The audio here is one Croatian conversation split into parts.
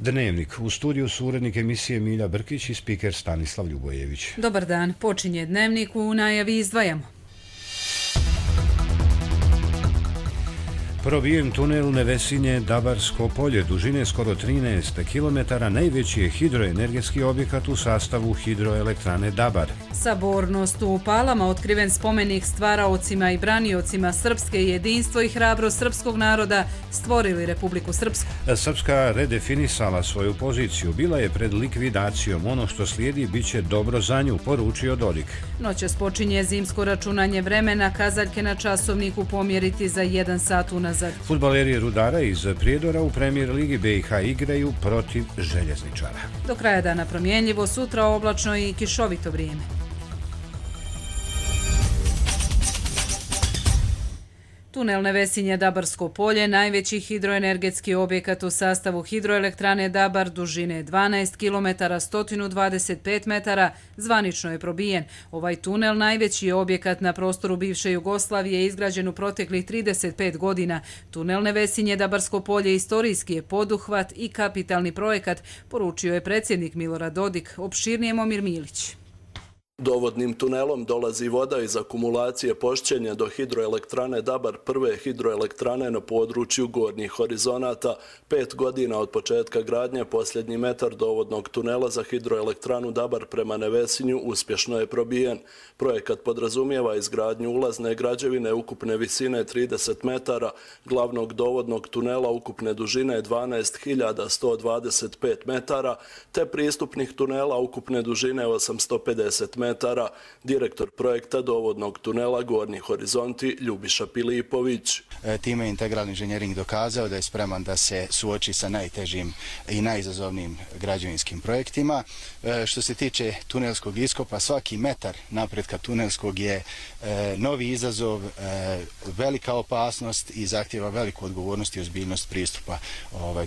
Dnevnik. U studiju su urednik emisije Milja Brkić i spiker Stanislav Ljubojević. Dobar dan. Počinje Dnevnik, u najavi izdvajamo. Probijen tunel Nevesinje-Dabarsko polje, dužine skoro 13 km, najveći je hidroenergetski objekat u sastavu hidroelektrane Dabar. Sabornost u Palama, otkriven spomenik stvaraocima i braniocima srpske, jedinstvo i hrabrost srpskog naroda stvorili Republiku Srpsku. Srpska redefinisala svoju poziciju, bila je pred likvidacijom. Ono što slijedi bit će dobro za nju, poručio Dodik. Noćas počinje zimsko računanje vremena, kazaljke na časovniku pomjeriti za 1 sat unazad. Fudbaleri Rudara iz Prijedora u Premier ligi BiH igraju protiv Željezničara. Do kraja dana promjenljivo, sutra oblačno i kišovito vrijeme. Tunel Nevesinje-Dabarsko polje, najveći hidroenergetski objekat u sastavu hidroelektrane Dabar, dužine 12 km, 125 metara, zvanično je probijen. Ovaj tunel najveći je objekat na prostoru bivše Jugoslavije, izgrađen u proteklih 35 godina. Tunel Nevesinje-Dabarsko polje istorijski je poduhvat i kapitalni projekat, poručio je predsjednik Milorad Dodik. Opširnije Momir Milić. Dovodnim tunelom dolazi voda iz akumulacije Pošćenje do hidroelektrane Dabar, prve hidroelektrane na području Gornjih horizonata. 5 godina od početka gradnje posljednji metar dovodnog tunela za hidroelektranu Dabar prema Nevesinju uspješno je probijen. Projekat podrazumijeva izgradnju ulazne građevine ukupne visine 30 metara, glavnog dovodnog tunela ukupne dužine 12.125 metara, te pristupnih tunela ukupne dužine 850 metara. Direktor projekta dovodnog tunela Gornji horizonti Ljubiša Pilipović. Time je Integralni inženjering dokazao da je spreman da se suoči sa najtežim i najizazovnijim građevinskim projektima. Što se tiče tunelskog iskopa, svaki metar napretka tunelskog je novi izazov, velika opasnost i zahtjeva veliku odgovornost i ozbiljnost pristupa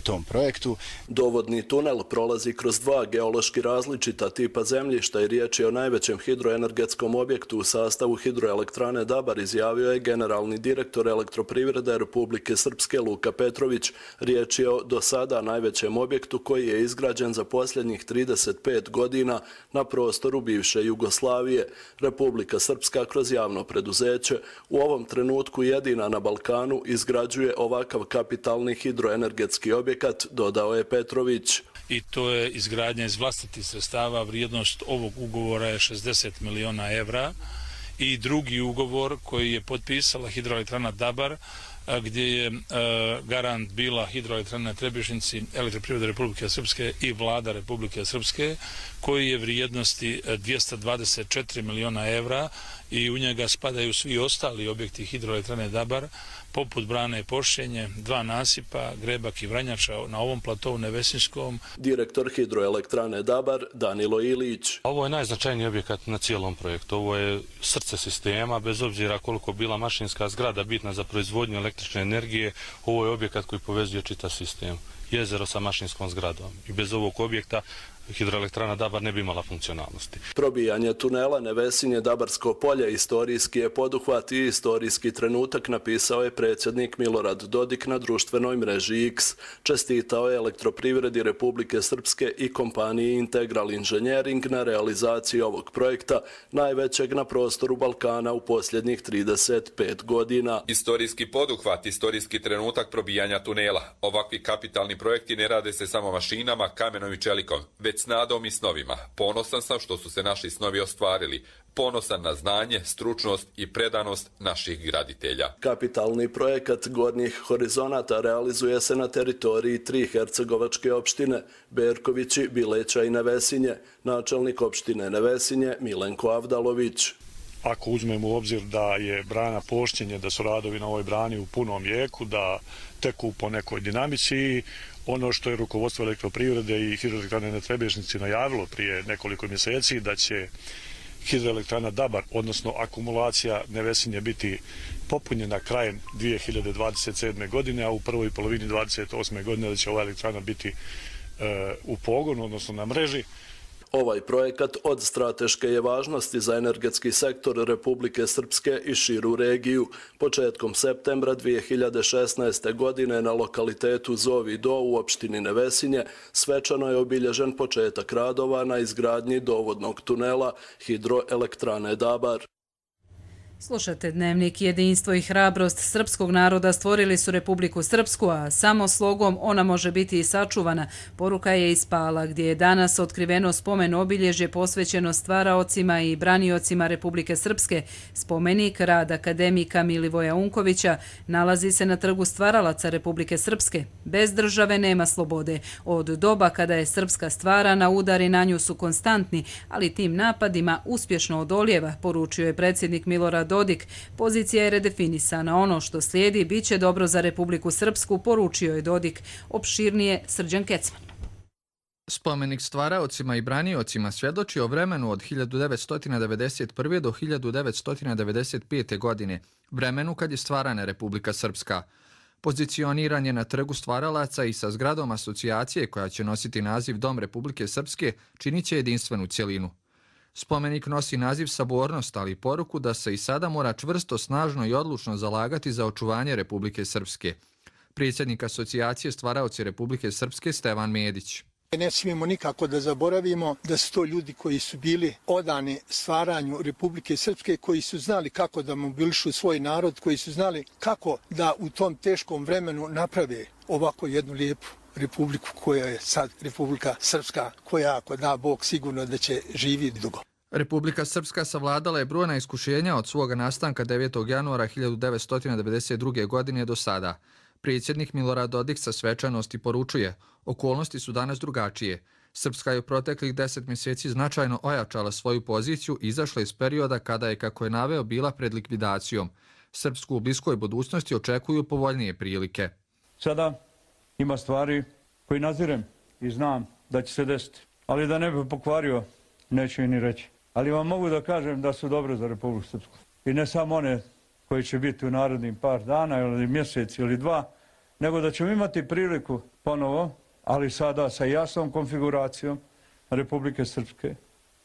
tom projektu. Dovodni tunel prolazi kroz 2 geološki različita tipa zemljišta i riječ je o najvećem hidroenergetskom objektu u sastavu hidroelektrane Dabar, izjavio je generalni direktor Elektroprivrede Republike Srpske Luka Petrović. Riječ je o do sada najvećem objektu koji je izgrađen za posljednjih 35 godina na prostoru bivše Jugoslavije. Republika Srpska kroz javno preduzeće u ovom trenutku jedina na Balkanu izgrađuje ovakav kapitalni hidroenergetski objekat, dodao je Petrović. I to je izgradnja iz vlastitih sredstava. Vrijednost ovog ugovora je 60 miliona evra i drugi ugovor koji je potpisala hidroelektrana Dabar, gdje je garant bila hidroelektrana Trebišnjici, Elektroprivrede Republike Srpske i vlada Republike Srpske, koji je vrijednosti 224 miliona evra i u njega spadaju svi ostali objekti hidroelektrane Dabar, poput brane Pošćenje, 2 nasipa, Grebak i Vranjača na ovom platovu Nevesinskom. Direktor hidroelektrane Dabar Danilo Ilić. Ovo je najznačajniji objekat na cijelom projektu. Ovo je srce sistema, bez obzira koliko bila mašinska zgrada bitna za proizvodnju električne energije, ovo je objekat koji povezuje čitav sistem. Jezero sa mašinskom zgradom. I bez ovog objekta hidroelektrana Dabar ne bi imala funkcionalnosti. Probijanje tunela Nevesinje-Dabarsko polje istorijski je poduhvat i istorijski trenutak, napisao je predsjednik Milorad Dodik na društvenoj mreži X. Čestitao je Elektroprivredi Republike Srpske i kompaniji Integral Inženjering na realizaciji ovog projekta, najvećeg na prostoru Balkana u posljednjih 35 godina. Istorijski poduhvat, istorijski trenutak probijanja tunela. Ovakvi kapitalni projekti ne rade se samo mašinama, kamenom i čelikom, već s nadom i snovima. Ponosan sam što su se naši snovi ostvarili. Ponosan na znanje, stručnost i predanost naših graditelja. Kapitalni projekat Gornjih horizonata realizuje se na teritoriji 3 hercegovačke opštine, Berkovići, Bileća i Nevesinje. Načelnik opštine Nevesinje Milenko Avdalović. Ako uzmemo u obzir da je brana Pošćenje, da su radovi na ovoj brani u punom jeku, da teku po nekoj dinamici, ono što je rukovodstvo Elektroprivrede i hidroelektrane na Trebišnjici najavilo prije nekoliko mjeseci, da će hidroelektrana Dabar, odnosno akumulacija Nevesinje, biti popunjena krajem 2027. godine, a u prvoj polovini 2028. godine da će ova elektrana biti u pogonu, odnosno na mreži. Ovaj projekat od strateške je važnosti za energetski sektor Republike Srpske i širu regiju. Početkom septembra 2016. godine na lokalitetu Zovi Do u opštini Nevesinje svečano je obilježen početak radova na izgradnji dovodnog tunela hidroelektrane Dabar. Slušate Dnevnik. Jedinstvo i hrabrost srpskog naroda stvorili su Republiku Srpsku, a samo slogom ona može biti i sačuvana. Poruka je iz Pala, gdje je danas otkriveno spomen obilježje posvećeno stvaraocima i braniocima Republike Srpske. Spomenik rad akademika Milivoja Unkovića nalazi se na trgu stvaralaca Republike Srpske. Bez države nema slobode. Od doba kada je Srpska stvarana, udari na nju su konstantni, ali tim napadima uspješno odolijeva, poručio je predsjednik Milorad Dodik. Pozicija je redefinisana. Ono što slijedi bit će dobro za Republiku Srpsku, poručio je Dodik. Opširnije Srđan Kecman. Spomenik stvaraocima i braniocima svjedoči o vremenu od 1991. do 1995. godine, vremenu kad je stvarana Republika Srpska. Pozicioniran je na trgu stvaralaca i sa zgradom asocijacije koja će nositi naziv Dom Republike Srpske činit će jedinstvenu cjelinu. Spomenik nosi naziv Sabornost, ali i poruku da se i sada mora čvrsto, snažno i odlučno zalagati za očuvanje Republike Srpske. Predsjednik asocijacije Stvaraoci Republike Srpske Stevan Medić. Ne smijemo nikako da zaboravimo da su to ljudi koji su bili odani stvaranju Republike Srpske, koji su znali kako da mobilišu svoj narod, koji su znali kako da u tom teškom vremenu naprave ovako jednu lijepu republiku koja je sad Republika Srpska, koja ako da Bog sigurno da će živjeti dugo. Republika Srpska savladala je brojna iskušenja od svoga nastanka 9. januara 1992. godine do sada. Predsjednik Milorad Dodik sa svečanosti poručuje, okolnosti su danas drugačije. Srpska je u proteklih 10 mjeseci značajno ojačala svoju poziciju i izašla iz perioda kada je, kako je naveo, bila pred likvidacijom. Srpsku u bliskoj budućnosti očekuju povoljnije prilike. Sada ima stvari koje nazirem i znam da će se desiti, ali da ne bi pokvario, neću i ni reći. Ali vam mogu da kažem da su dobre za Republiku Srpsku. I ne samo one koji će biti u narednim par dana ili mjesec ili dva, nego da ćemo imati priliku ponovo, ali sada sa jasnom konfiguracijom Republike Srpske,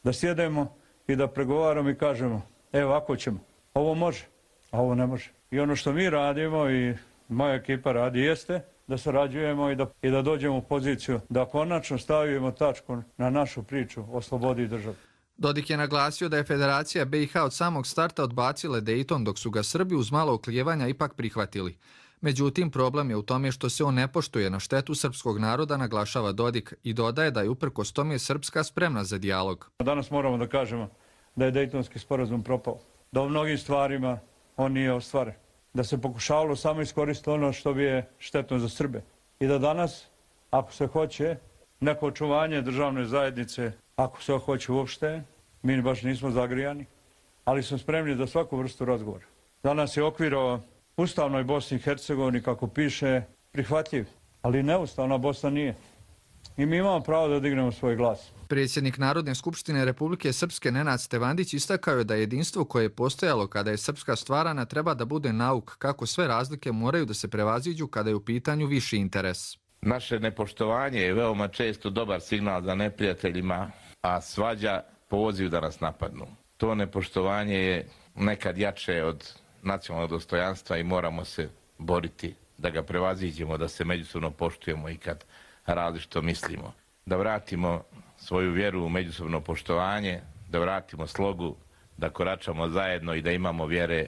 da sjedemo i da pregovaramo i kažemo, evo ako ćemo, ovo može, a ovo ne može. I ono što mi radimo i moja ekipa radi jeste da sarađujemo i da dođemo u poziciju da konačno stavimo tačku na našu priču o slobodi države. Dodik je naglasio da je Federacija BiH od samog starta odbacila Dayton, dok su ga Srbi uz malo oklijevanja ipak prihvatili. Međutim, problem je u tome što se on ne poštuje na štetu srpskog naroda, naglašava Dodik i dodaje da je uprkos tome Srpska spremna za dijalog. Danas moramo da kažemo da je Daytonski sporazum propao, da u mnogim stvarima on nije ostvaren, da se pokušavalo samo iskoristiti ono što bi je štetno za Srbe i da danas, ako se hoće, neko očuvanje državne zajednice, ako se hoće uopšte, mi baš nismo zagrijani, ali smo spremni za svaku vrstu razgovora. Danas je okvir o ustavnoj Bosni i Hercegovini, kako piše, prihvatljiv, ali neustavna Bosna nije. I mi imamo pravo da dignemo svoj glas. Predsjednik Narodne skupštine Republike Srpske Nenad Stevandić istakao je da jedinstvo koje je postojalo kada je Srpska stvarana treba da bude nauk kako sve razlike moraju da se prevaziđu kada je u pitanju viši interes. Naše nepoštovanje je veoma često dobar signal za neprijateljima, a svađa poziv da nas napadnu. To nepoštovanje je nekad jače od nacionalnog dostojanstva i moramo se boriti da ga prevaziđemo, da se međusobno poštujemo i kad različito mislimo. Da vratimo svoju vjeru u međusobno poštovanje, da vratimo slogu, da koračamo zajedno i da imamo vjere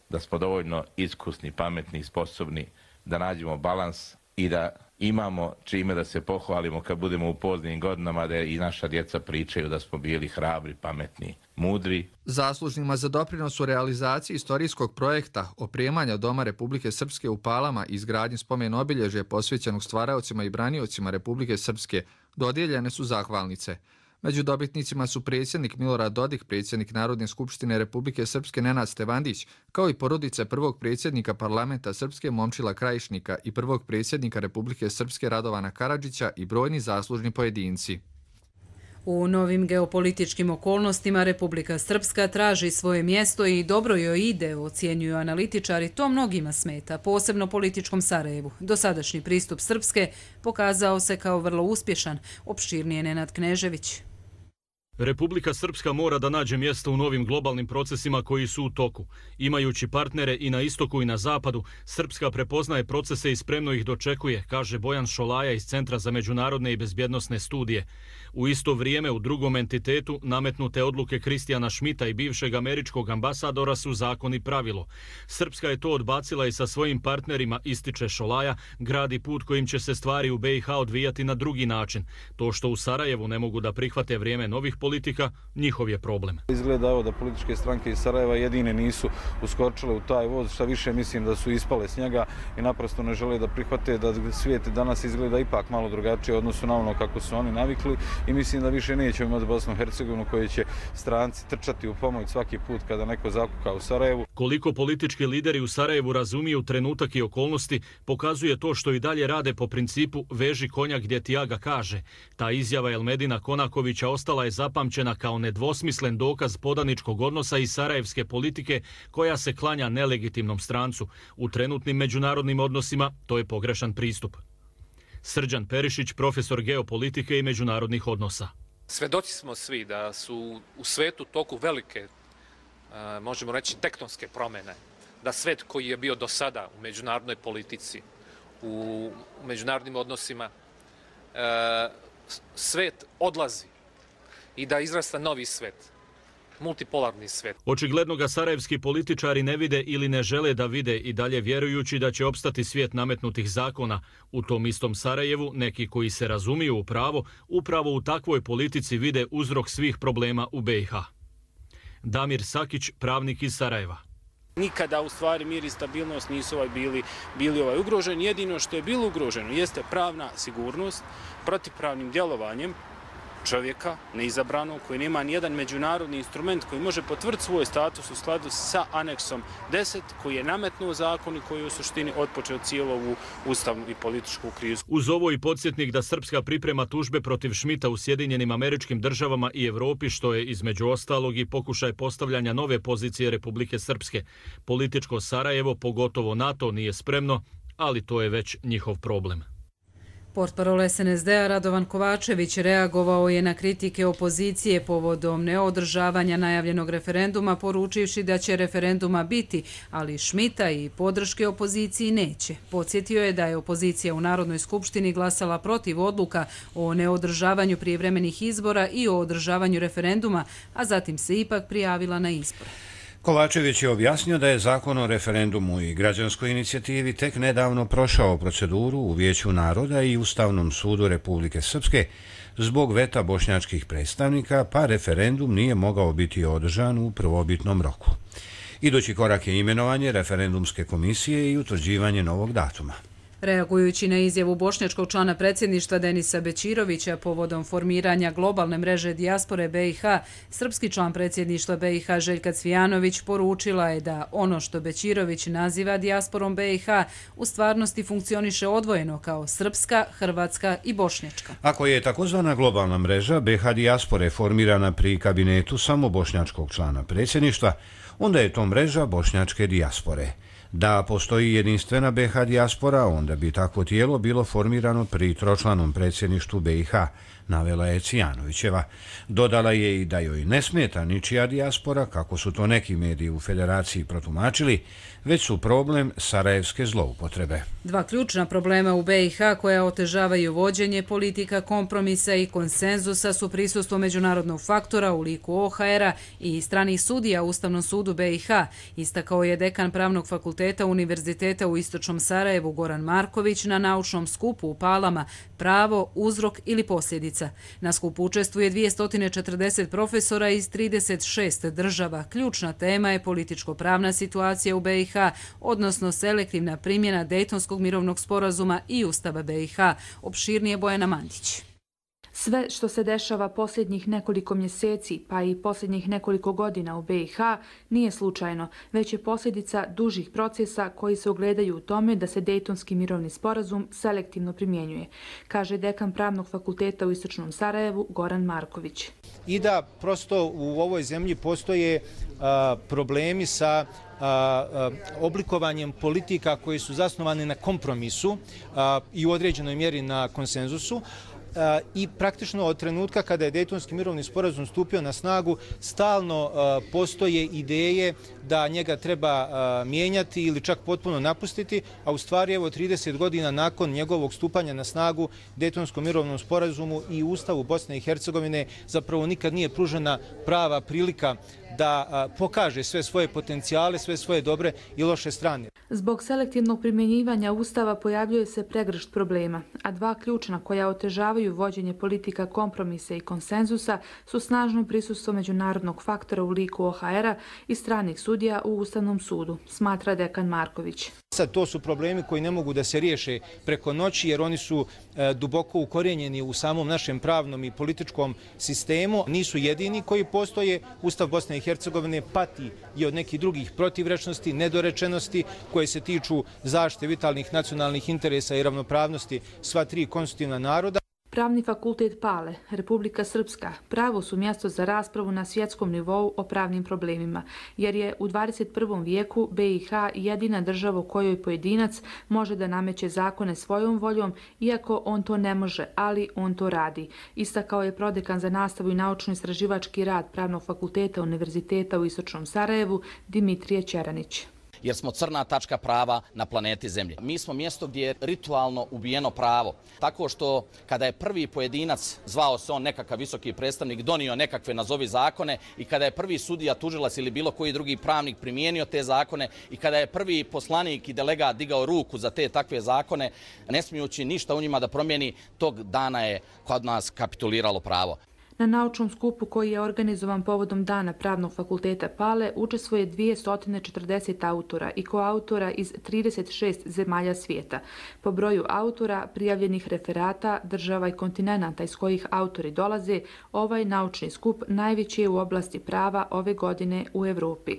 da smo dovoljno iskusni, pametni i sposobni da nađemo balans i da imamo čime da se pohvalimo kad budemo u poznim godinama, da i naša djeca pričaju da smo bili hrabri, pametni, mudri. Zaslužnima za doprinos u realizaciji istorijskog projekta opremanja Doma Republike Srpske u Palama i izgradnji spomen obilježja posvećenog stvaraocima i braniocima Republike Srpske dodijeljene su zahvalnice. Među dobitnicima su predsjednik Milorad Dodik, predsjednik Narodne skupštine Republike Srpske Nenad Stevandić, kao i porodice prvog predsjednika parlamenta Srpske Momčila Krajišnika i prvog predsjednika Republike Srpske Radovana Karadžića i brojni zaslužni pojedinci. U novim geopolitičkim okolnostima Republika Srpska traži svoje mjesto i dobro joj ide, ocjenjuju analitičari, to mnogima smeta, posebno političkom Sarajevu. Dosadašnji pristup Srpske pokazao se kao vrlo uspješan, opširnije Nenad Knežević. Republika Srpska mora da nađe mjesto u novim globalnim procesima koji su u toku. Imajući partnere i na istoku i na zapadu, Srpska prepoznaje procese i spremno ih dočekuje, kaže Bojan Šolaja iz Centra za međunarodne i bezbjednosne studije. U isto vrijeme u drugom entitetu nametnute odluke Kristijana Šmita i bivšeg američkog ambasadora su zakon i pravilo. Srpska je to odbacila i sa svojim partnerima, ističe Šolaja, gradi put kojim će se stvari u BiH odvijati na drugi način. To što u Sarajevu ne mogu da prihvate vrijeme novih politika, njihov je problem. Izgleda da političke stranke iz Sarajeva jedine nisu uskočile u taj voz, šta više mislim da su ispale s njega i naprosto ne žele da prihvate da svijet danas izgleda ipak malo drugačije odnosu na ono kako su oni navikli i mislim da više nećemo imati Bosnu i Hercegovinu koji će stranci trčati u pomoć svaki put kada neko zakuka u Sarajevu. Koliko politički lideri u Sarajevu razumiju trenutak i okolnosti, pokazuje to što i dalje rade po principu veži konja gdje ti aga kaže. Ta izjava Elmedina Konakovića ostala je zapamćena kao nedvosmislen dokaz podaničkog odnosa i sarajevske politike koja se klanja nelegitimnom strancu. U trenutnim međunarodnim odnosima to je pogrešan pristup. Srđan Perišić, profesor geopolitike i međunarodnih odnosa. Svedoci smo svi da su u svetu toku velike, možemo reći, tektonske promjene. Da svet koji je bio do sada u međunarodnoj politici, u međunarodnim odnosima, svet odlazi i da izrasta novi svet, multipolarni svet. Očigledno ga sarajevski političari ne vide ili ne žele da vide i dalje vjerujući da će opstati svijet nametnutih zakona. U tom istom Sarajevu neki koji se razumiju u pravo, upravo u takvoj politici vide uzrok svih problema u BiH. Damir Sakić, pravnik iz Sarajeva. Nikada u stvari mir i stabilnost nisu bili ugroženi. Jedino što je bilo ugroženo jeste pravna sigurnost protivpravnim djelovanjem čovjeka neizabranog koji nema nijedan međunarodni instrument koji može potvrditi svoj status u skladu sa aneksom 10 koji je nametnuo zakon i koji je u suštini otpočeo cijelu ovu ustavnu i političku krizu. Uz ovo i podsjetnik da Srpska priprema tužbe protiv Šmita u Sjedinjenim Američkim Državama i Evropi, što je između ostalog i pokušaj postavljanja nove pozicije Republike Srpske. Političko Sarajevo, pogotovo NATO, nije spremno, ali to je već njihov problem. Portparol SNSD-a Radovan Kovačević reagovao je na kritike opozicije povodom neodržavanja najavljenog referenduma, poručivši da će referenduma biti, ali Šmita i podrške opoziciji neće. Podsjetio je da je opozicija u Narodnoj skupštini glasala protiv odluka o neodržavanju prijevremenih izbora i o održavanju referenduma, a zatim se ipak prijavila na izbore. Kovačević je objasnio da je zakon o referendumu i građanskoj inicijativi tek nedavno prošao proceduru u Vijeću naroda i Ustavnom sudu Republike Srpske zbog veta bošnjačkih predstavnika, pa referendum nije mogao biti održan u prvobitnom roku. Idući korak je imenovanje referendumske komisije i utvrđivanje novog datuma. Reagujući na izjavu bošnjačkog člana predsjedništva Denisa Bećirovića povodom formiranja globalne mreže dijaspore BiH, srpski član predsjedništva BiH Željka Cvijanović poručila je da ono što Bećirović naziva dijasporom BiH u stvarnosti funkcioniše odvojeno kao srpska, hrvatska i bošnjačka. Ako je takozvana globalna mreža BiH dijaspore formirana pri kabinetu samo bošnjačkog člana predsjedništva, onda je to mreža bošnjačke dijaspore. Da postoji jedinstvena BiH dijaspora, onda bi takvo tijelo bilo formirano pri tročlanom predsjedništvu BiH, navela je Cvijanovićeva. Dodala je i da joj ne smeta ničija dijaspora, kako su to neki mediji u federaciji protumačili, već su problem sarajevske zloupotrebe. Dva ključna problema u BiH koja otežavaju vođenje politika kompromisa i konsenzusa su prisustvo međunarodnog faktora u liku OHR-a i stranih sudija u Ustavnom sudu BiH, istakao je dekan Pravnog fakulteta Univerziteta u Istočnom Sarajevu Goran Marković na naučnom skupu u Palama Pravo, uzrok ili posljedica. Na skupu učestvuje 240 profesora iz 36 država. Ključna tema je političko-pravna situacija u BiH, odnosno selektivna primjena Dejtonskog mirovnog sporazuma i Ustava BiH. Opširnije Bojana Mandić. Sve što se dešava posljednjih nekoliko mjeseci, pa i posljednjih nekoliko godina u BiH, nije slučajno, već je posljedica dužih procesa koji se ogledaju u tome da se Dejtonski mirovni sporazum selektivno primjenjuje, kaže dekan Pravnog fakulteta u Istočnom Sarajevu Goran Marković. I da prosto u ovoj zemlji postoje problemi sa oblikovanjem politika koje su zasnovane na kompromisu i u određenoj mjeri na konsenzusu, i praktično od trenutka kada je Dejtonski mirovni sporazum stupio na snagu stalno postoje ideje da njega treba mijenjati ili čak potpuno napustiti, a u stvari evo 30 godina nakon njegovog stupanja na snagu Dejtonskom mirovnom sporazumu i Ustavu Bosne i Hercegovine zapravo nikad nije pružena prava prilika da pokaže sve svoje potencijale, sve svoje dobre i loše strane. Zbog selektivnog primjenjivanja Ustava pojavljuje se pregršt problema, a dva ključna koja otežavaju vođenje politika kompromisa i konsenzusa su snažno prisustvo međunarodnog faktora u liku OHR-a i stranih sudija u Ustavnom sudu, smatra dekan Marković. Sad to su problemi koji ne mogu da se riješe preko noći jer oni su duboko ukorijenjeni u samom našem pravnom i političkom sistemu. Nisu jedini koji postoje. Ustav Bosne i Hercegovine pati i od nekih drugih protivrečnosti, nedorečenosti koje se tiču zaštite vitalnih nacionalnih interesa i ravnopravnosti sva tri konstitutivna naroda. Pravni fakultet Pale, Republika Srpska, pravo su mjesto za raspravu na svjetskom nivou o pravnim problemima, jer je u 21. vijeku BiH jedina država u kojoj pojedinac može da nameće zakone svojom voljom, iako on to ne može, ali on to radi. Istakao je prodekan za nastavu i naučno-istraživački rad Pravnog fakulteta Univerziteta u Istočnom Sarajevu, Dimitrije Ćeranić. Jer smo crna tačka prava na planeti Zemlji. Mi smo mjesto gdje je ritualno ubijeno pravo. Tako što kada je prvi pojedinac, zvao se on nekakav visoki predstavnik, donio nekakve nazovi zakone i kada je prvi sudija, tužilac ili bilo koji drugi pravnik primijenio te zakone i kada je prvi poslanik i delegat digao ruku za te takve zakone, ne smijući ništa u njima da promijeni, tog dana je kod nas kapituliralo pravo. Na naučnom skupu koji je organizovan povodom Dana Pravnog fakulteta Pale učestvuje 240 autora i koautora iz 36 zemalja svijeta. Po broju autora, prijavljenih referata, država i kontinenata iz kojih autori dolaze, ovaj naučni skup najveći je u oblasti prava ove godine u Evropi.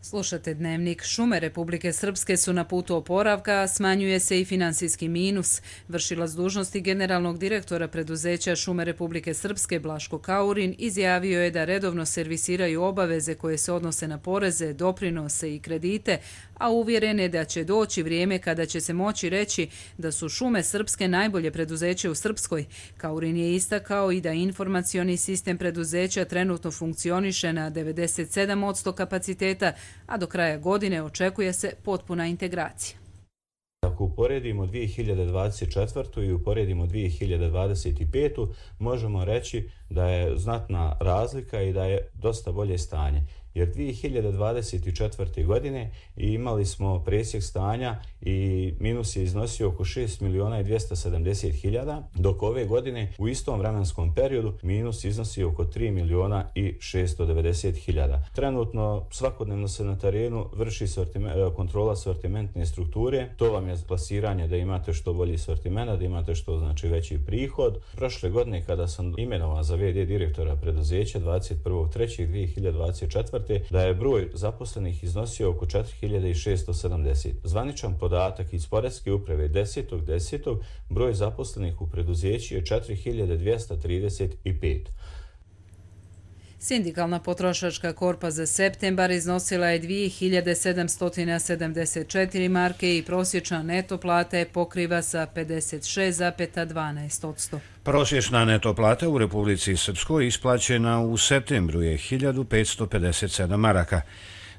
Slušate Dnevnik. Šume Republike Srpske su na putu oporavka, smanjuje se i finansijski minus. Vršilac dužnosti generalnog direktora preduzeća Šume Republike Srpske Blaško Kaurin izjavio je da redovno servisiraju obaveze koje se odnose na poreze, doprinose i kredite, a uvjeren je da će doći vrijeme kada će se moći reći da su Šume Srpske najbolje preduzeće u Srpskoj. Kaurin je istakao i da informacioni sistem preduzeća trenutno funkcioniše na 97% kapaciteta, a do kraja godine očekuje se potpuna integracija. Ako uporedimo 2024. i uporedimo 2025. možemo reći da je znatna razlika i da je dosta bolje stanje. Jer 2024. godine imali smo presjek stanja i minus je iznosio oko 6.270.000, dok ove godine u istom vremenskom periodu minus iznosi oko 3.690.000. Trenutno svakodnevno se na terenu vrši kontrola sortimentne strukture. To vam je plasiranje da imate što bolji sortimenta, da imate što znači veći prihod. Prošle godine kada sam imenovan za VD direktora preduzeća 21.3.2024. da je broj zaposlenih iznosio oko 4.670. Zvaničan podatak iz Poreske uprave 10.10. broj zaposlenih u preduzeću je 4.235. Sindikalna potrošačka korpa za septembar iznosila je 2.774 marke i prosječna neto plata je pokriva sa 56,12%. Prosječna neto plata u Republici Srpskoj isplaćena u septembru je 1.557 maraka.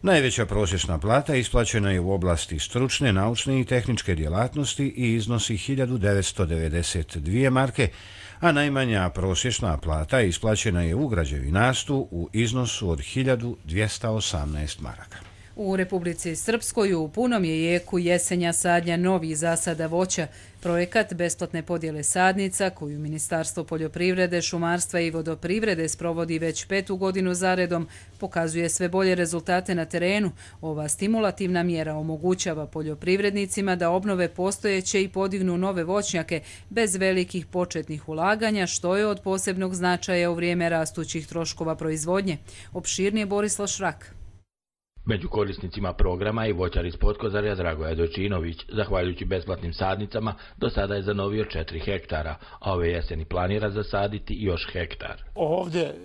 Najveća prosječna plata isplaćena je u oblasti stručne, naučne i tehničke djelatnosti i iznosi 1.992 marke, a najmanja prosječna plata isplaćena je u građevinarstvu u iznosu od 1.218 maraka. U Republici Srpskoj u punom je jeku jesenja sadnja novih zasada voća. Projekat besplatne podjele sadnica, koju Ministarstvo poljoprivrede, šumarstva i vodoprivrede sprovodi već 5. godinu zaredom, pokazuje sve bolje rezultate na terenu. Ova stimulativna mjera omogućava poljoprivrednicima da obnove postojeće i podignu nove voćnjake bez velikih početnih ulaganja, što je od posebnog značaja u vrijeme rastućih troškova proizvodnje. Opširnije Borislav Šrak. Među korisnicima programa je voćar iz Potkozarja Dragoja Dojčinović. Zahvaljujući besplatnim sadnicama, do sada je zanovio 4 hektara, a ove jeseni planira zasaditi još hektar. Ovdje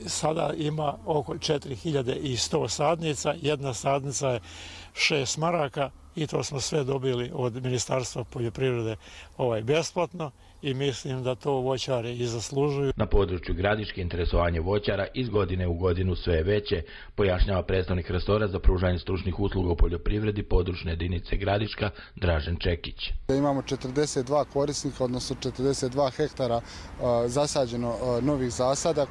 sada ima oko 4100 sadnica, jedna sadnica je 6 maraka, i to smo sve dobili od Ministarstva poljoprivrede besplatno i mislim da to voćari i zaslužuju. Na području Gradiške interesovanje voćara iz godine u godinu sve je veće, pojašnjava predstavnik resora za pružanje stručnih usluga u poljoprivredi područne jedinice Gradiška Dražen Čekić. Imamo 42 korisnika, odnosno 42 hektara zasađeno novih zasada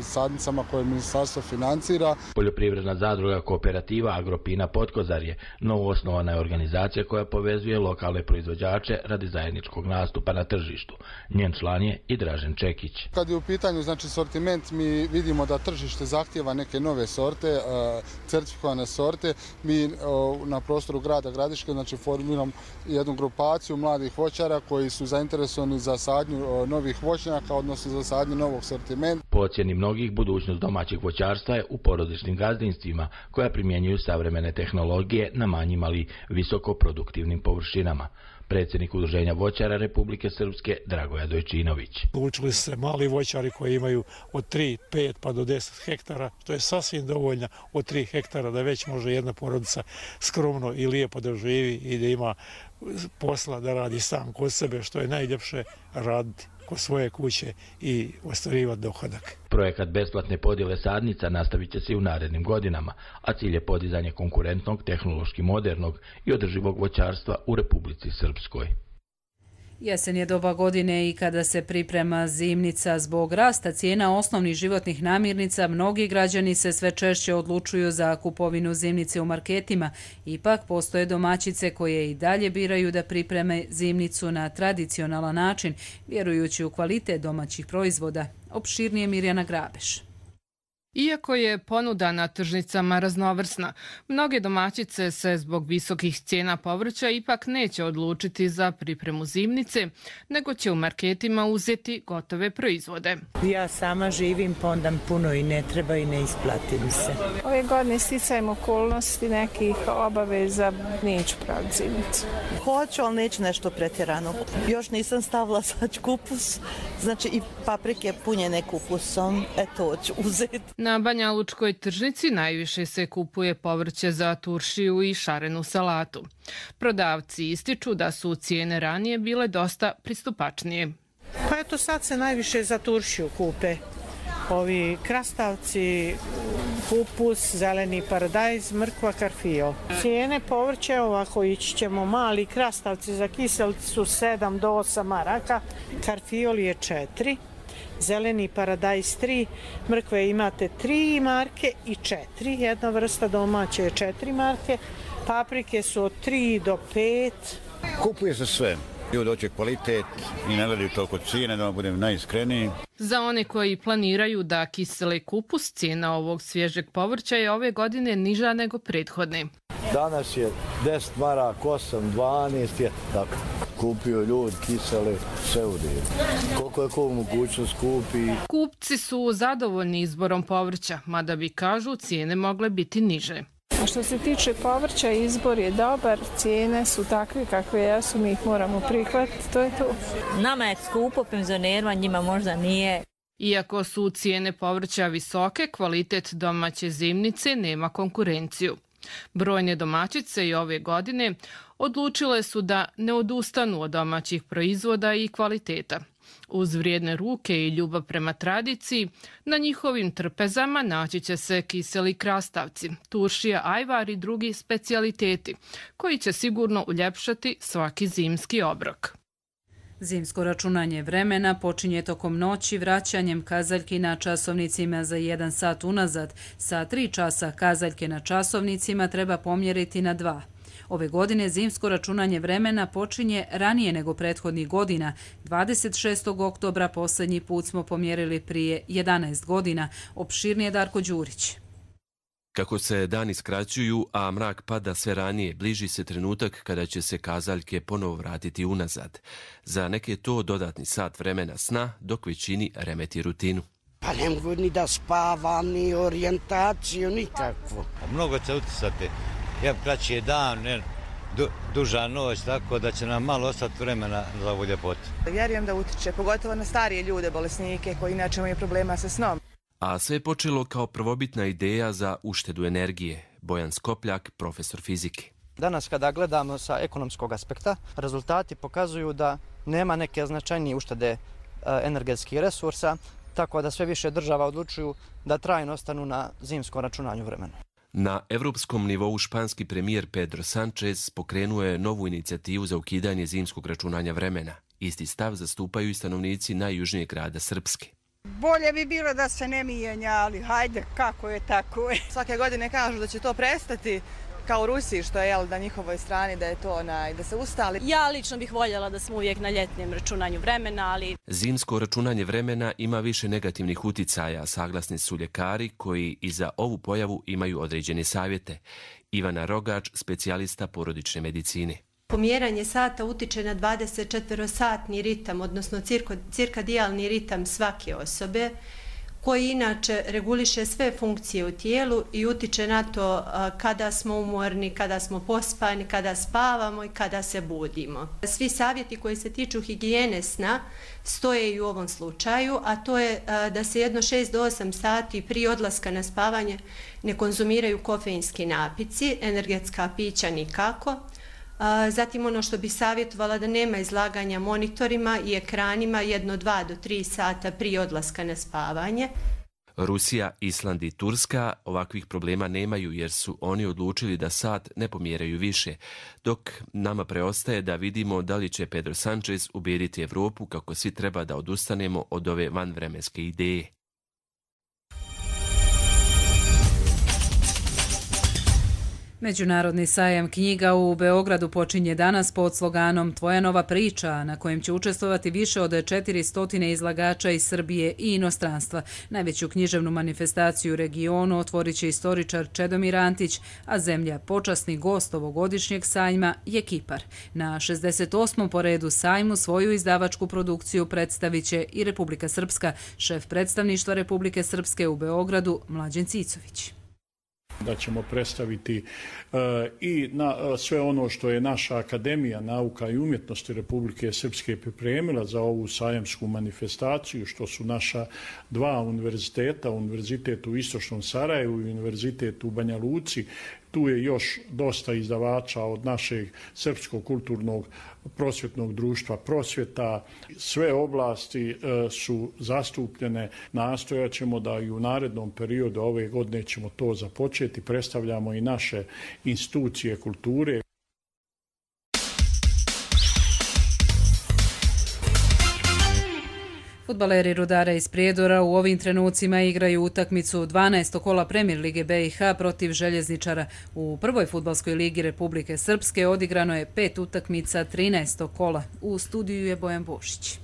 sadnicama koje ministarstvo financira. Poljoprivredna zadruga Kooperativa Agropina Potkozarje novoosnovana je organizacija koja povezuje lokalne proizvođače radi zajedničkog nastupa na tržištu. Njen član je i Dražen Čekić. Kad je u pitanju sortiment, mi vidimo da tržište zahtjeva neke nove sorte, certifikovane sorte. Mi na prostoru grada Gradiške formiramo jednu grupaciju mladih voćara koji su zainteresovani za sadnju novih voćnjaka, odnosno za sadnju novog sortimenta. Po ocjeni mnogih, budućnost domaćeg voćarstva je u porodičnim gazdinstvima koja primjenjuju savremene tehnologije na manjim, ali visoko produktivnim površinama. Predsjednik Udruženja voćara Republike Srpske Dragoje Dojčinović. Učili se mali voćari koji imaju od 3, 5 pa do 10 hektara, što je sasvim dovoljno od 3 hektara da već može jedna porodica skromno i lijepo da živi i da ima posla da radi sam kod sebe, što je najljepše raditi kod svoje kuće i ostvarivati dohodak. Projekat besplatne podjele sadnica nastavit će se i u narednim godinama, a cilj je podizanje konkurentnog, tehnološki modernog i održivog voćarstva u Republici Srpskoj. Jesen je doba godine i kada se priprema zimnica. Zbog rasta cijena osnovnih životnih namirnica, mnogi građani se sve češće odlučuju za kupovinu zimnice u marketima. Ipak postoje domaćice koje i dalje biraju da pripreme zimnicu na tradicionalan način, vjerujući u kvalitet domaćih proizvoda. Opširnije Mirjana Grabeš. Iako je ponuda na tržnicama raznovrsna, mnoge domaćice se zbog visokih cijena povrća ipak neće odlučiti za pripremu zimnice, nego će u marketima uzeti gotove proizvode. Ja sama živim, pa onda puno i ne treba i ne isplati mi se. Ove godine sticajem okolnosti nekih obaveza neću praviti zimnicu. Hoću, ali neću nešto pretjerano. Još nisam stavila sad kupus, znači i paprike punjene kupusom, eto ću uzeti. Na Banja Lučkoj tržnici najviše se kupuje povrće za turšiju i šarenu salatu. Prodavci ističu da su cijene ranije bile dosta pristupačnije. Pa eto sad se najviše za turšiju kupe. Ovi krastavci, kupus, zeleni paradajz, mrkva, karfio. Cijene povrće ovako ići ćemo, mali krastavci za kiselicu su 7 do 8 maraka, karfiol je 4. Zeleni paradajz 3, mrkve imate 3 marke i 4, jedna vrsta domaće je 4 marke, paprike su od 3 do 5. Kupuje se sve. Ljudi hoće kvalitet i ne gledaju toliko cijene, da budem najiskreniji. Za one koji planiraju da kisele kupus, cijena ovog svježeg povrća je ove godine niža nego prethodne. Danas je 10 maraka, 8, 12 je tako. Kupio ljudi, kisele, sve u divu. Koliko je ko mogućnost kupi. Kupci su zadovoljni izborom povrća, mada bi kažu cijene mogle biti niže. A što se tiče povrća, izbor je dobar, cijene su takve kakve jesu, mi ih moramo prihvatiti, to je to. Nama je skupo, penzionerima, njima možda nije. Iako su cijene povrća visoke, kvalitet domaće zimnice nema konkurenciju. Brojne domaćice i ove godine odlučile su da ne odustanu od domaćih proizvoda i kvaliteta. Uz vrijedne ruke i ljubav prema tradiciji, na njihovim trpezama naći će se kiseli krastavci, turšija, ajvar i drugi specijaliteti, koji će sigurno uljepšati svaki zimski obrok. Zimsko računanje vremena počinje tokom noći vraćanjem kazaljki na časovnicima za 1 sat unazad. Sa 3 časa kazaljke na časovnicima treba pomjeriti na 2. Ove godine zimsko računanje vremena počinje ranije nego prethodnih godina. 26. oktobra posljednji put smo pomjerili prije 11 godina. Opširnije Darko Đurić. Kako se dani skraćuju, a mrak pada sve ranije, bliži se trenutak kada će se kazaljke ponovo vratiti unazad. Za neke to dodatni sat vremena sna, dok većini remeti rutinu. Pa ne mogu ni da spavam, ni orijentaciju, nikakvu. Mnogo će utisati, kraći je dan, duža noć, tako da će nam malo ostati vremena za ovu ljepotu. Vjerujem da utiče, pogotovo na starije ljude, bolesnike koji inače imaju problema sa snom. A sve je počelo kao prvobitna ideja za uštedu energije. Bojan Skopljak, profesor fizike. Danas kada gledamo sa ekonomskog aspekta, rezultati pokazuju da nema neke značajnije uštede energetskih resursa, tako da sve više država odlučuju da trajno ostanu na zimskom računanju vremena. Na evropskom nivou španski premijer Pedro Sánchez pokrenuo je novu inicijativu za ukidanje zimskog računanja vremena. Isti stav zastupaju i stanovnici najjužnijeg grada Srpske. Bolje bi bilo da se ne mijenja, ali hajde, kako je tako je. Svake godine kažu da će to prestati, kao u Rusiji, što je na njihovoj strani, da je to da se ustali. Ja lično bih voljela da smo uvijek na ljetnijem računanju vremena, ali... Zimsko računanje vremena ima više negativnih uticaja, saglasni su ljekari koji i za ovu pojavu imaju određene savjete. Ivana Rogač, specijalista porodične medicine. Pomjeranje sata utiče na 24-satni ritam, odnosno cirkadijalni ritam svake osobe, koji inače reguliše sve funkcije u tijelu i utiče na to kada smo umorni, kada smo pospani, kada spavamo i kada se budimo. Svi savjeti koji se tiču higijene sna stoje i u ovom slučaju, a to je da se jedno 6 do 8 sati prije odlaska na spavanje ne konzumiraju kofeinski napici, energetska pića nikako. Zatim ono što bi savjetovala da nema izlaganja monitorima i ekranima 1, 2 do 3 sata prije odlaska na spavanje. Rusija, Island i Turska ovakvih problema nemaju jer su oni odlučili da sat ne pomjeraju više, dok nama preostaje da vidimo da li će Pedro Sánchez ubijediti Evropu kako svi treba da odustanemo od ove vanvremenske ideje. Međunarodni sajam knjiga u Beogradu počinje danas pod sloganom Tvoja nova priča, na kojem će učestvovati više od 400 izlagača iz Srbije i inostranstva. Najveću književnu manifestaciju u regionu otvorit će istoričar Čedomir Antić, a zemlja počasni gost ovogodišnjeg sajma je Kipar. Na 68. po redu sajmu svoju izdavačku produkciju predstavit će i Republika Srpska, šef predstavništva Republike Srpske u Beogradu Mlađen Cicović. Da ćemo predstaviti i sve ono što je naša Akademija nauka i umjetnosti Republike Srpske pripremila za ovu sajamsku manifestaciju, što su naša dva univerziteta, Univerzitet u Istočnom Sarajevu i Univerzitet u Banja Luci. Tu je još dosta izdavača od našeg Srpskog kulturnog prosvjetnog društva Prosvjeta. Sve oblasti su zastupljene. Nastojat ćemo da i u narednom periodu ove godine ćemo to započeti. Predstavljamo i naše institucije kulture. Fudbaleri Rudara iz Prijedora u ovim trenucima igraju utakmicu 12. kola Premier lige BiH protiv Željezničara. U prvoj fudbalskoj ligi Republike Srpske odigrano je 5 utakmica 13. kola. U studiju je Bojan Bošić.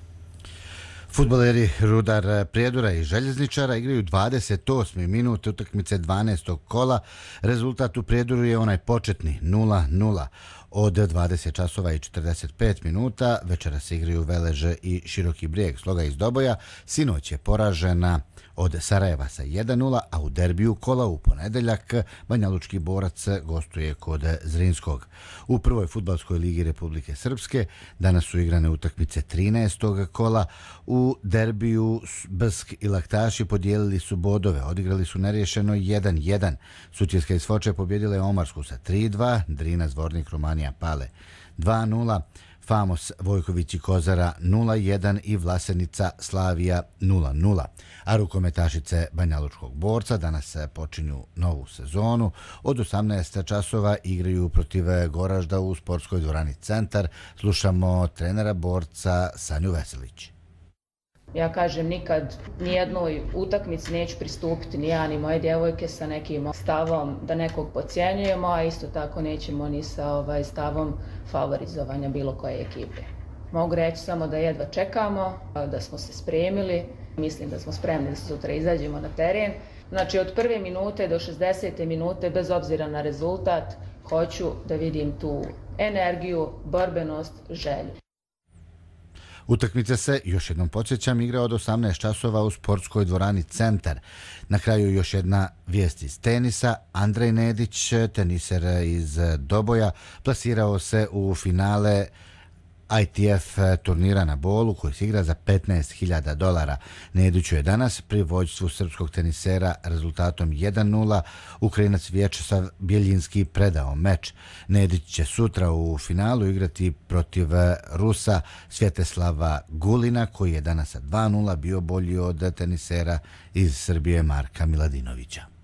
Fudbaleri Rudar Prijedora i Željezničara igraju 28. minut utakmice 12. kola. Rezultat u Prijedoru je onaj početni 0-0. Od 20 časova i 45 minuta večera se igraju Veleže i Široki Brijeg. Sloga iz Doboja sinoć je poražena od Sarajeva sa 1-0, a u derbiju kola u ponedeljak Banjalučki Borac gostuje kod Zrinskog. U prvoj fudbalskoj ligi Republike Srpske danas su igrane utakmice 13. kola. U derbiju Brsk i Laktaši podijelili su bodove, odigrali su neriješeno 1-1. Sutjeska iz Foče pobjedila je Omarsku sa 3-2, Drina Zvornik Romanija Pale 2-0, Famos Vojković i Kozara 0-1 i Vlasenica Slavija 0-0. A rukometašice Banjalučkog Borca danas počinju novu sezonu. Od 18 časova igraju protiv Goražda u sportskoj dvorani Centar. Slušamo trenera Borca Sanju Veselić. Ja kažem, nikad nijednoj utakmici neću pristupiti ni ja ni moje djevojke sa nekim stavom da nekog podcjenjujemo, a isto tako nećemo ni sa stavom favorizovanja bilo koje ekipe. Mogu reći samo da jedva čekamo, da smo se spremili. Mislim da smo spremni da sutra izađemo na teren. Znači od prve minute do 60. minute, bez obzira na rezultat, hoću da vidim tu energiju, borbenost, želju. Utakmica se, još jednom podsjećam, igra od 18 časova u sportskoj dvorani Centar. Na kraju još jedna vijest iz tenisa. Andrej Nedić, teniser iz Doboja, plasirao se u finale ITF turnira na Bolu koji se igra za $15.000. Nediću je danas pri vođstvu srpskog tenisera rezultatom 1-0. Ukrajinac Vječeslav Bjeljinski predao meč. Nedić će sutra u finalu igrati protiv Rusa Svjeteslava Gulina koji je danas sa 2-0 bio bolji od tenisera iz Srbije Marka Miladinovića.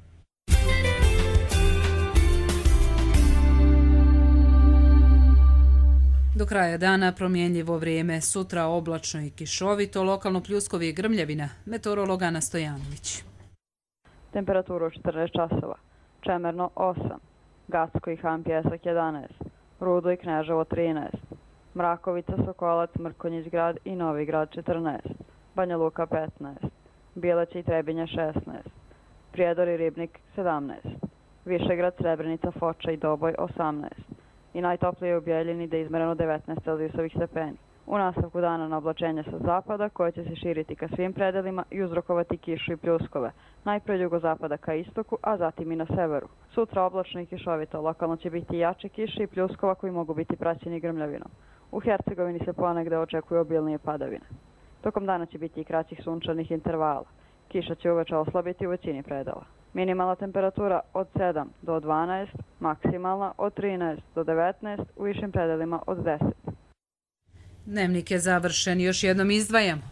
Do kraja dana promjenljivo vrijeme, sutra oblačno i kišovito, lokalno pljuskovi i grmljavina, meteorolog Ana Stojanović. Temperaturu 14 časova, Čemerno 8, Gacko i Han Pjesak 11, Rudo i Kneževo 13, Mrakovica, Sokolac, Mrkonjić grad i Novi grad 14, Banja Luka 15, Bileće i Trebinje 16, Prijedor i Ribnik 17, Višegrad, Srebrenica, Foča i Doboj 18 i najtoplije u Bjeljini da je izmereno 19 celzijusovih stepeni. U nastavku dana na oblačenje sa zapada koje će se širiti ka svim predelima i uzrokovati kišu i pljuskove, najpre jugozapada ka istoku, a zatim i na severu. Sutra oblačno i kišovito, lokalno će biti jače kiše i pljuskova koji mogu biti praćeni grmljavinom. U Hercegovini se ponegde očekuju obilnije padavine. Tokom dana će biti i kraćih sunčanih intervala. Kiša će uveče oslabiti u većini predela. Minimalna temperatura od 7 do 12, maksimalna od 13 do 19, u višim predelima od 10. Dnevnik je završen, još jednom izdvajamo.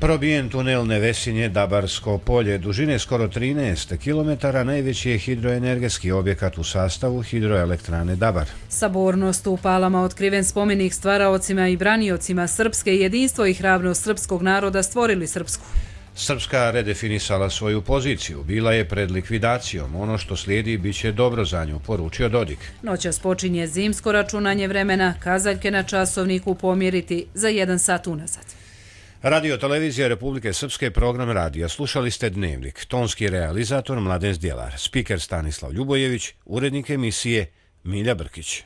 Probijen tunel Nevesinje Dabarsko polje, dužine skoro 13 km, najveći je hidroenergetski objekat u sastavu hidroelektrane Dabar. Sabornost u Palama otkriven spomenik stvaraocima i braniocima srpske, jedinstvo i hrabrost srpskog naroda stvorili Srpsku. Srpska redefinisala svoju poziciju, bila je pred likvidacijom, ono što slijedi bit će dobro za nju, poručio Dodik. Noćas počinje zimsko računanje vremena, kazaljke na časovniku pomjeriti za 1 sat unazad. Radio Televizija Republike Srpske, program radija. Slušali ste Dnevnik. Tonski realizator Mladen Zdjelar, spiker Stanislav Ljubojević, urednik emisije Milja Brkić.